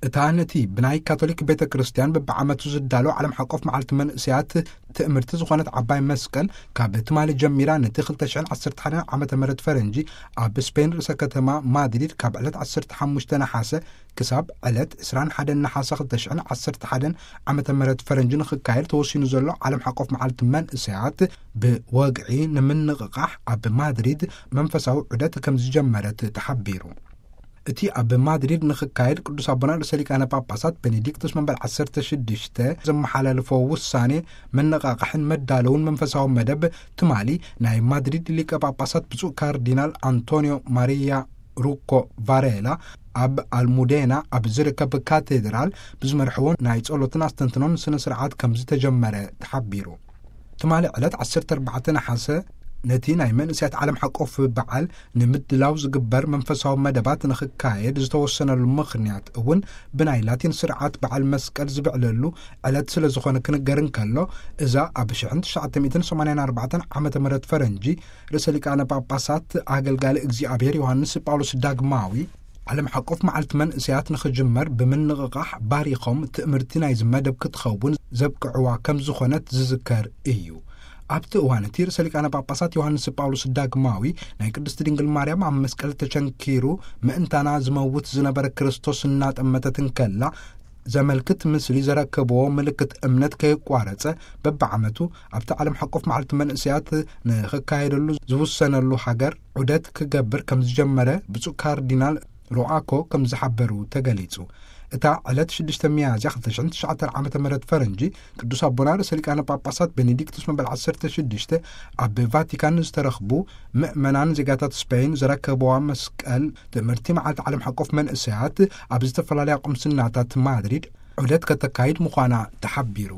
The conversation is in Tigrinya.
እታ ነቲ ብናይ ካቶሊክ ቤተ ክርስቲያን በብዓመቱ ዝዳሎ ዓለም ሓቆፍ መዓልቲ መንእሰያት ትእምርቲ ዝኾነት ዓባይ መስቀል፣ ካብ ትማሊ ጀሚራ ነቲ ክልተ ሽሕን ዓሰርተ ሓደን ዓመተ ምህረት ፈረንጂ ኣብ ስፔን ርእሰ ከተማ ማድሪድ ካብ ዕለት ዓሰርተ ሓሙሽተ ነሓሰ ክሳብ ዕለት ዕስራን ሓደን ነሓሰ ክልተ ሽሕን ዓሰርተ ሓደን ዓመተ ምህረት ፈረንጂ ንኽካየድ ተወሲኑ ዘሎ ዓለም ሓቆፍ መዓልቲ መንእሰያት ብወግዒ ንምንቕቓሕ ኣብ ማድሪድ መንፈሳዊ ዑደት ከም ዝጀመረት ተሓቢሩ። እቲ ኣብ ማድሪድ ንኽካየድ ቅዱስ ኣቦና ርእሰ ሊቃነ ጳጳሳት ቤኔዲክቶስ መንበር ዓሰርተ ሽዱሽተ ዘመሓላለፎ ውሳኔ መነቓቕሕን መዳለውን መንፈሳዊ መደብ ትማሊ ናይ ማድሪድ ሊቀ ጳጳሳት ብፁዕ ካርዲናል ኣንቶኒዮ ማሪያ ሩኮ ቫሬላ ኣብ ኣልሙዴና ኣብ ዝርከብ ካቴድራል ብዝመርሕዎ ናይ ጸሎትን ኣስተንትኖን ስነ ስርዓት ከም ዝተጀመረ ተሓቢሩ። ትማሊ ዕለት ዓሰርተ ኣርባዕተ ነሓሰ ነቲ ናይ መንእሰያት ዓለም ሓቆፍ በዓል ንምድላው ዝግበር መንፈሳዊ መደባት ንኽካየድ ዝተወሰነሉ ምኽንያት እውን ብናይ ላቲን ስርዓት በዓል መስቀል ዝብዕለሉ ዕለት ስለ ዝኾነ ክንገር እንከሎ፣ እዛ ኣብ ሽሕን ትሽዓተ ሚእትን ሰማንያን ኣርባዕተን ዓመተ ምህረት ፈረንጂ ርእሰ ሊቃነ ጳጳሳት ኣገልጋሊ እግዚኣብሔር ዮሃንስ ጳውሎስ ዳግማዊ ዓለም ሓቆፍ መዓልቲ መንእሰያት ንኽጅመር ብምንቕቓሕ ባሪኾም ትእምርቲ ናይዚ መደብ ክትኸውን ዘብቅዕዋ ከም ዝኾነት ዝዝከር እዩ። ኣብቲ እዋን እቲ ርእሰ ሊቃነ ጳጳሳት ዮሃንስ ጳውሎስ ዳግማዊ ናይ ቅድስቲ ድንግል ማርያም ኣብ መስቀል ተቸንኪሩ ምእንታና ዝመውት ዝነበረ ክርስቶስ እናጠመተት እንከላ ዘመልክት ምስሊ ዘረከብዎ ምልክት እምነት ከየቋረጸ በብዓመቱ ኣብቲ ዓለም ሓቆፍ መዓልቲ መንእሰያት ንኽካየደሉ ዝውሰነሉ ሃገር ዑደት ክገብር ከም ዝጀመረ ብፁዕ ካርዲናል ሮኣኮ ከም ዝሓበሩ ተገሊጹ። እታ ዕለት ሽዱሽተ ሚያዝያ ክልተ ሽሕን ትሽዓተ ዓመተ ምህረት ፈረንጂ ቅዱስ ኣቦና ርእሰ ሊቃነ ጳጳሳት ቤኔዲክቱስ መበል ዓሰርተ ሽዱሽተ ኣብ ቫቲካን ዝተረኽቡ ምእመናን ዜጋታት ስፔን ዘረከብዋ መስቀል ትእምርቲ መዓልቲ ዓለም ሓቆፍ መንእሰያት ኣብ ዝተፈላለያ ቁምስናታት ማድሪድ ዑደት ከተካይድ ምዃና ተሓቢሩ።